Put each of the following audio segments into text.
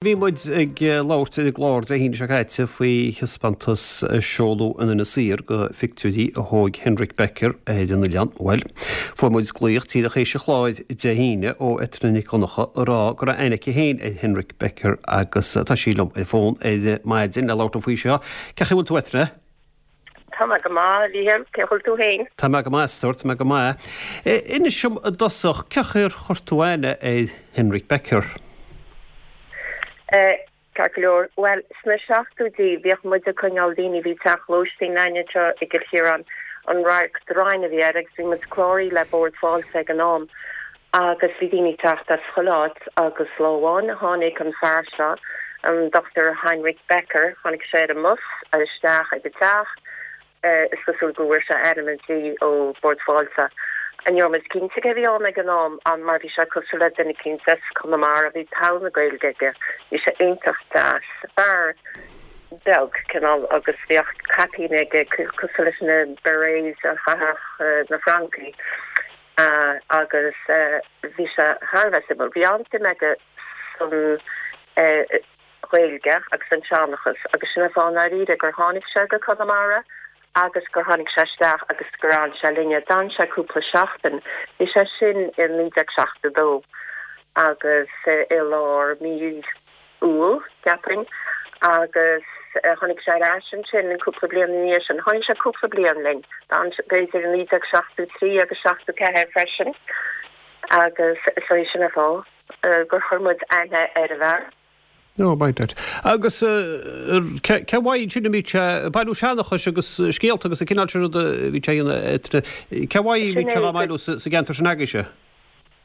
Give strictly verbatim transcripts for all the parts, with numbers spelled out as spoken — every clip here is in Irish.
Bhí muid ag labhairt ar an gclár Dé hAoine seo caite faoi thaispeántas a seoladh in Inis Oírr de phictiúirí a thóg Henrik Becker ar an oileán. Bhuel, fuair muid glaoch díreach théis an chláir Dé hAoine ó Eithne Nic Dhonncha ag rá go raibh aithne aici féin ar Henrik Becker agus tá sí liom ar fón ar maidin le labhairt faoi seo. Cén chaoi a bhfuil tú Eithne? Tá mé go maith, Mhícheál, cén chaoi a bhfuil tú féin? Tá mé go maith, a stór, tá mé go maith. Inis dom i dtosach, cén chaoi ar chuir tú aithne ar Henrik Becker? Ceart go leor. Bhuel, sna seachtóidí bhíodh muid ag coinneáil daoine, bhí teach lóistín againn anseo i gCill Chiaráin, an Radharc Draighin a bhí air agus bhí muid cláraithe le Bord Fáilte ag an am agus bhí daoine ag teacht as chuile áit agus lá amháin tháinig an fear seo, an Dochtúir Heinrich Becker, tháinig sé ar an mbus isteach ag an teach, Is cosúil go bhfuair sé ainm an tí ó Bord Fáilte. Ní raibh muid cinnte cé a bhí ann ag an am mar bhí sé cosúil le duine eicínt as Conamara, bhí togha na Gaeilge aige, bhí sé iontach deas, fear beag cineál agus bhíodh caipín aige cosúil leis na berets a chaitheadh na Francaigh agus bhí sé thar a bheith suimiúil. Bhí an-suim aige san Ghaeilge agus an seanchas agus sin an fáth i ndáiríre gur tháinig sé go Conamara agus gur tháinig sé isteach agus gur fhan sé linne. D'fhan sé cúpla seachtain. Bhí sé sin i naoi déag seachtó dó agus i lár mí Iúil, cheapfainn, agus tháinig sé ar ais ansin cúpla bliain ina dhiaidh sin. Tháinig sé cúpla bliain linn. D'fhan sé b'fhéidir i naoi déag seachtó trí agus seachtó ceathair freisin agus is é sin an fáth gur chuir muid aithne ar an bhfear. No, by that. Agus cén mhaith ansin a mbíodh sé ag bailiú seanchais agus scéalta agus an cineál sin ruda a bhí sé a dhéanamh, cén mhaith a mbíodh sé á mbailiú sa gceantar sin agaibhse?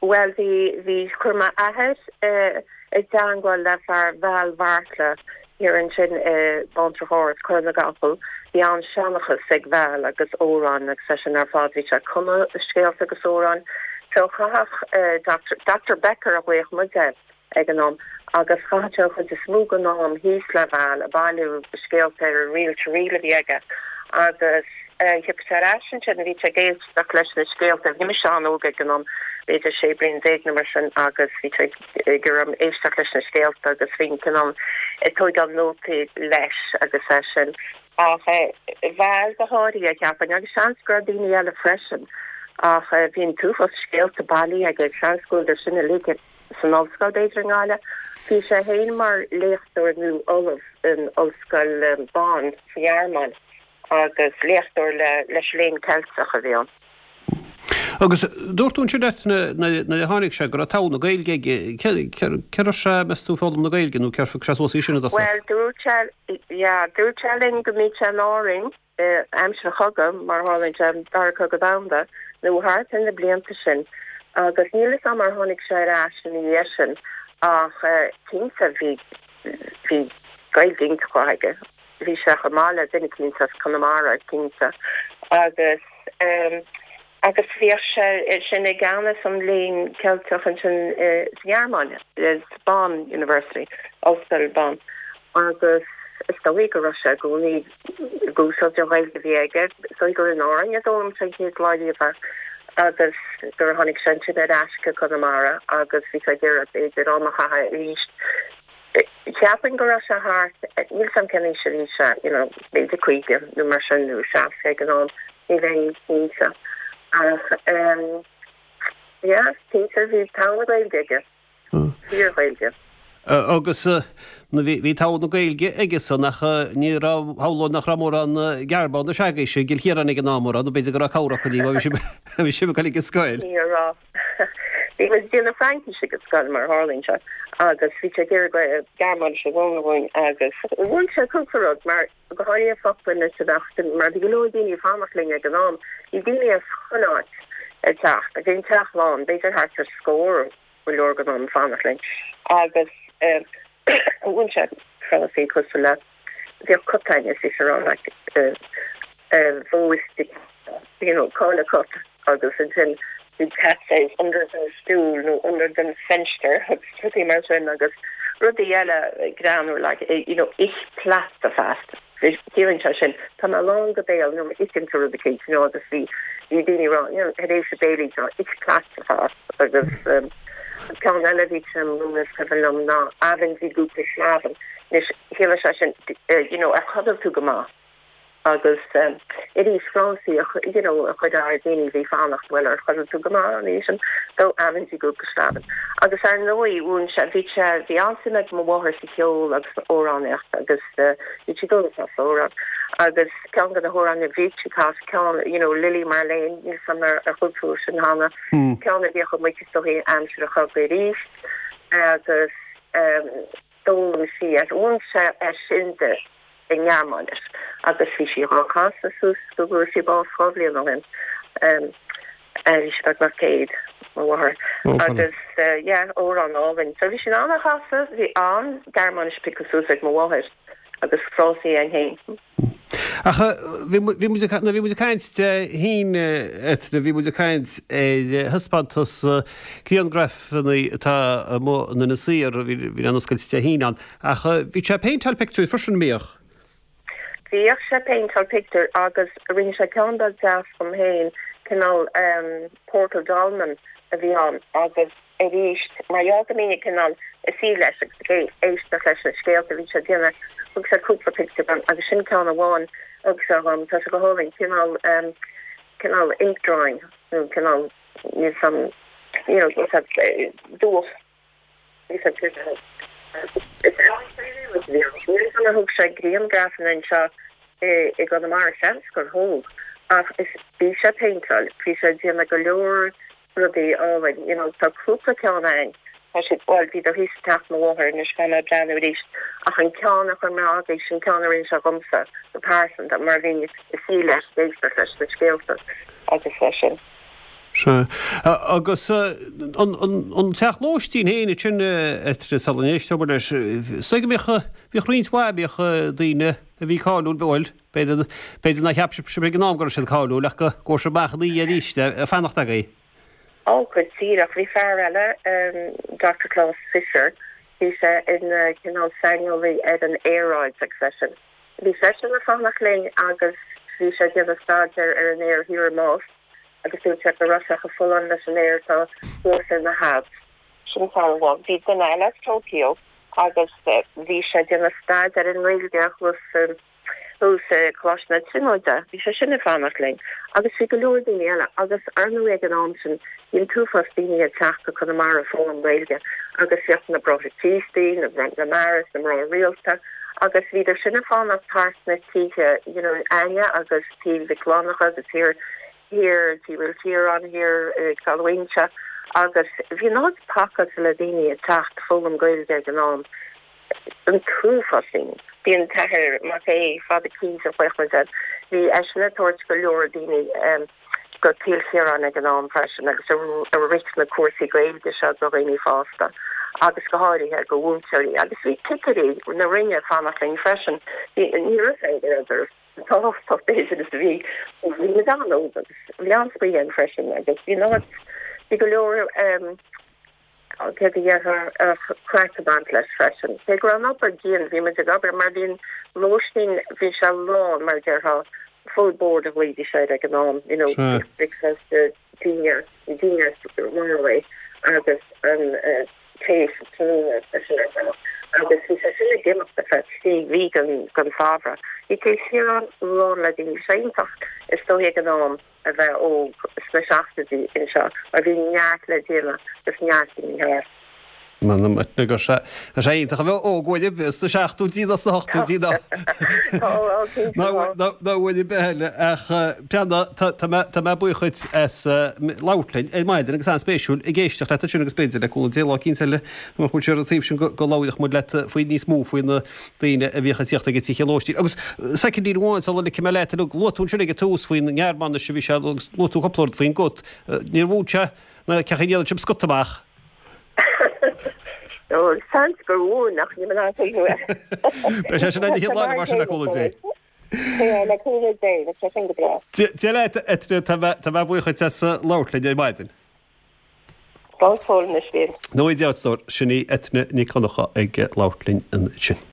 Bhuel, bhí, bhí, chuir m'athair i dteangmháil le fear Val Bheartla thiar ansin i mBántrach Ard, Cora na gCapall. Bhí an-seanchas ag Val agus amhráin agus é sin ar fad, bhí sé ag cumadh scéalta agus amhráin. So chaitheadh Doctor, Doctor Becker a ghlaodh muid air. ag an am agus chaitheadh sé an chuid is mó den am thíos le Val ag bailiú scéalta ar an reel to reel a bhí aige agus thiocfadh sé ar ais ansin bhí sé ag éisteacht leis na scéalta, bhí mise an-óg ag an am, b'fhéidir sé bliana déag nó mar sin agus bhí sé ag iarraidh éisteacht leis na scéalta agus bhínn cineál ag tóigeáil nótaí leis agus é sin. Ach Val go háirithe, cheapfainn, agus seans go raibh daoine eile freisin ach bhí an t-uafás scéalta bailithe aige, seans go bhfuil sin uilig san ollscoil b'fhéidir i nGaillimh. Bhí sé féin mar léachtóir nó ollamh in Ollscoil Bonn sa Ghearmáin agus léachtóir le leis an Léann Ceilteach a bhí ann. Agus dúirt tú ansin Eithne nuair a tháinig sé go raibh togha na Gaeilge aige. Cé raibh sé, meas tú, ag foghlaim na Gaeilge nó cér phioc sé suas í sin i dtosach? Bhuel, dúirt sé, yeah, dúirt sé linn go mbíodh sé in Árainn aimsir an chogaidh, mar a tharlaíonn sé, an Dara Cogadh Domhanda, nó thart ar na blianta sin, agus níl 'fhios a'm ar tháinig sé ar ais ina dhiaidh sin, ach cinnte bhí, bhí Gaeilge iontach mhaith aige, bhí sé chomh maith le duine eicínt as Conamara, cinnte, agus eh. Agus bhíodh sé sin i gceannas an Léinn Ceilteach ansin sa Ghearmáin, Bonn University, Ollscoil Bonn, agus is dóigh go raibh sé i gcónaí ag úsáid an Ghaeilge a bhí aige. Is dóigh gur in Árainn a d'fhoghlaim sé an chéad lá riamh é agus gur tháinig sé ansin ar ais go Conamara agus bhí sé ag iarraidh b'fhéidir am a chaitheamh arís. Cheapfainn go raibh sé thart, níl 'fhios a'm cén aois a bhí sé, you know, b'fhéidir caoga nó mar sin nó seasca ag an am, ní bheinn cinnte. Ach ehm yeah, cinnte bhí togha na Gaeilge aige, fíor-Ghaeilge. Agus bhí bhí togha na Gaeilge aige san ach ní raibh, shamhlóinn nach raibh mórán Gearmánais agaibhse i gCill Chiaráin ag an am, an raibh, nó b'fhéidir go raibh cabhair acu libh, bhí sibh bhí sibh ag dul ag an scoil. Ní raibh. Bhí muid ag déanamh Fraincise ag an scoil mar a tharlaíonn sé agus bhí sé ag iarraidh Gearmáinis a mhúineadh dhúinn agus mhúin sé cúpla rud mar go háirithe focla anois a bheadh mar bhí go leor daoine ag fanacht linn ag an am, bhí daoine as chuile áit ag teacht agus bhí an teach lán, b'fhéidir thart ar scór go leor den am ag fanacht linn agus mhúin sé frásaí cosúil le bhíodh cat againn is bhí sé ag rá like wo ist die you know cá bhfuil an cat agus ansin the cat says under den Stuhl nó under den Fenster agus rudaí mar sin agus rudaí eile greannmhar like you know ich platze fast ciallaíonn sé sin tá mé lán go béal nó itheann tú rud eicínt you know agus bhí bhí daoine ag rá you know tar éis a béilí seo ich platze fast agus um, Ceann eile a bhí sé a mhúineadh is cuimhin liom ná Haben Sie gut geschlafen? Anois chiallaigh sé sin you know ar chodail tú go maith? Agus arís frásaí you know a chuid ár daoine a bhí fanacht bhuel ar chodail tú go maith an oíche sin? So Haben Sie gut geschlafen? Agus ar ndóigh mhúin sé bhí sé bhí an-suim ag mo mháthair sa cheol agus san amhránaíocht agus bhí sí ag dul ag casadh amhrán agus ceann de na hamhráin a bhí sí ag casadh ceann you know Lili Marlene níl 's a'm ar ar chuala tú sin cheana ceann a bhíodh amuigh is dóigh aimsir an chogaidh arís agus d'fhoghlaim sí é mhúin sé é sin di i nGearmáinis agus bhí sí dhá chasadh suas go bhfuair sí bás dhá bhliain ó shin. Bhí sí beagnach céad, mo mháthair. Agus yeah, amhrán álainn. So bhí sí in ann a chasadh, bhí an Ghearmáinis pioctha suas ag mo mháthair agus frásaí againn féin. Ach bhí bhí muid ag bhí muid ag caint Dé hAoine Eithne, bhí muid ag caint ar thaispeántas grianghrafanna atá amuigh in Inis Oírr, bhí bhí an oscailt Dé hAoine ann. Ach bhí sé ag péinteáil pictiúir freisin, an mbíodh? Bhíodh sé ag péinteáil pictiúir agus rinne sé ceann beag deas dom féin, cineál portal dolmen a bhí ann agus arís mar gheall go mbínn cineál ag suí leis agus ag éisteacht leis na scéalta a bhí sé ag déanamh, thug sé cúpla pictiúr dom agus sin ceann amháin a thug sé dhom, tá sé go hálainn, cineál cineál ink drawing nó cineál níl 's a'm you know dúch. Is ealaíontóir é ar thóg sé grianghrafanna anseo i gConamara, seans gur thóg, ach is bhí sé ag péinteáil, bhí sé ag déanamh go leor rudaí álainn, you know tá cúpla ceann ann, tá siad, bhuel bhíodar thíos i dteach mo mháthar anois caithfidh mé breathnú arís, ach an ceann a chuir mé agaibh, sin ceann a rinne sé dhomsa go pearsanta mar bhínn ag suí leis ag éisteacht leis na scéalta agus leis sin. Sea. Agus an teach lóistín féin ansin Eithne, sula n-éisteoidh muid leis, is dóigh go mbíodh, bhíodh roinnt mhaith, bhíodh daoine a bhí cáiliúil, bhuel, b'fhéidir, b'fhéidir nár cheap sibh ag an am go raibh siad cáiliúil ach go raibh siad amach ina dhiaidh arís ag fanacht agaibh. Ó, go díreach. Bhí fear eile, Doctor Klaus Fischer, bhí sé ina cineál saineolaí ar an aeráid agus seisean, bhí seisean ag fanacht linn agus bhí sé ag déanamh staidéir ar an aer thiar i Most. agus dúirt sé go raibh sé chomh folláin leis an aer atá thuas ar na hAlps. Sin fear amháin. Bhí duine eile as Tokyo agus bhí sé ag déanamh staidéar ar an nGaeilge thuas thuas i Coláiste na Tríonóide. Bhí sé sin ag fanacht linn. Agus bhí go leor daoine eile agus ar ndóigh ag an am sin bhí an t-uafás daoine ag teacht go Conamara ag foghlaim Gaeilge agus bhíodh na Bráithre Críostaí, na na Marists, na mná rialta agus bhíodar sin ag fanacht thart sna tithe you know againne agus Tí Mhic Fhlannchadha agus thiar thiar Tí Mhaoilchiaráin thiar i gCaladh agus bhí an áit pacáilte le daoine ag teacht foghlaim Gaeilge ag an am. An t-uafás daoine. Bhí an tAthair Mac Aodha, Father Keys a ghlaodh muid air, bhí eisean ag tabhairt go leor daoine go Cill Chiaráin ag an am freisin agus ag rith na cúrsaí Gaeilge seo do dhaoine fásta agus go háirithe do mhúinteoirí agus bhí cigirí na Roinne ag fanacht linn freisin. Ní raibh a fhios agam tábhachtach b'fhéidir is a bhí. Bhí muid an-óg agus bhí an-spraoi againn freisin agus bhí an áit, bhí go leor céard a déarfá craic ag baint leis freisin. Cé go raibh an obair dian, bhí muid ag obair mar bhí an lóistín, bhí sé lán mar a déarfá, full board a ghlaoidís air ag an am, you know, breakfast, dinner, dinner right away agus an tae sa tráthnóna freisin ar bhealach agus bhí sé sin ag imeacht ar feadh trí mhí den den samhradh. Bhí Cill Chiaráin lán le daoine. Bhí sé iontach is dóigh ag an am a bheith óg sna seachtóidí anseo mar bhí neart le déanamh agus neart daoine thart. M'anam go raibh sé raibh sé iontach a bheith óg uair ar bith sna seachtóidí nó sna hochtóidí nó nó nó uair ar bith eile ach Breandán tá tá mé tá mé buíoch dhuit as labhairt linn ar maidin agus an-spéisiúil ag éisteacht leat ansin agus b'fhéidir le cúnamh Dé lá eicínt eile go mbeadh muid siar an taobh sin go go labhródh muid leat faoi níos mó faoi na daoine a bhíodh ag tíocht ag an teach lóistín. Agus soicindín amháin sula ligfidh mé leat luaigh tú ansin ag an tús faoin nGearmáinis a bhí sé agus luaigh tú cúpla rud faoin gcut. Níor mhúin sé na cén chaoi a ndéanann sibh scata amach. Ó, seans gur mhúin ach níl mé in ann cuimhniú air. Beidh sé sin ag an chéad lá eile mar sin le cúnamh Dé. Sea, le cúnamh Dé, beidh sé sin go breá. Dia leat, Eithne, tá mé tá mé buíoch dhuit as labhairt linn ar maidin. Slán go fóill anois, Bhriain. Nó Dia duit, a stór, sin í Eithne Nic Dhonncha ag labhairt linn ansin.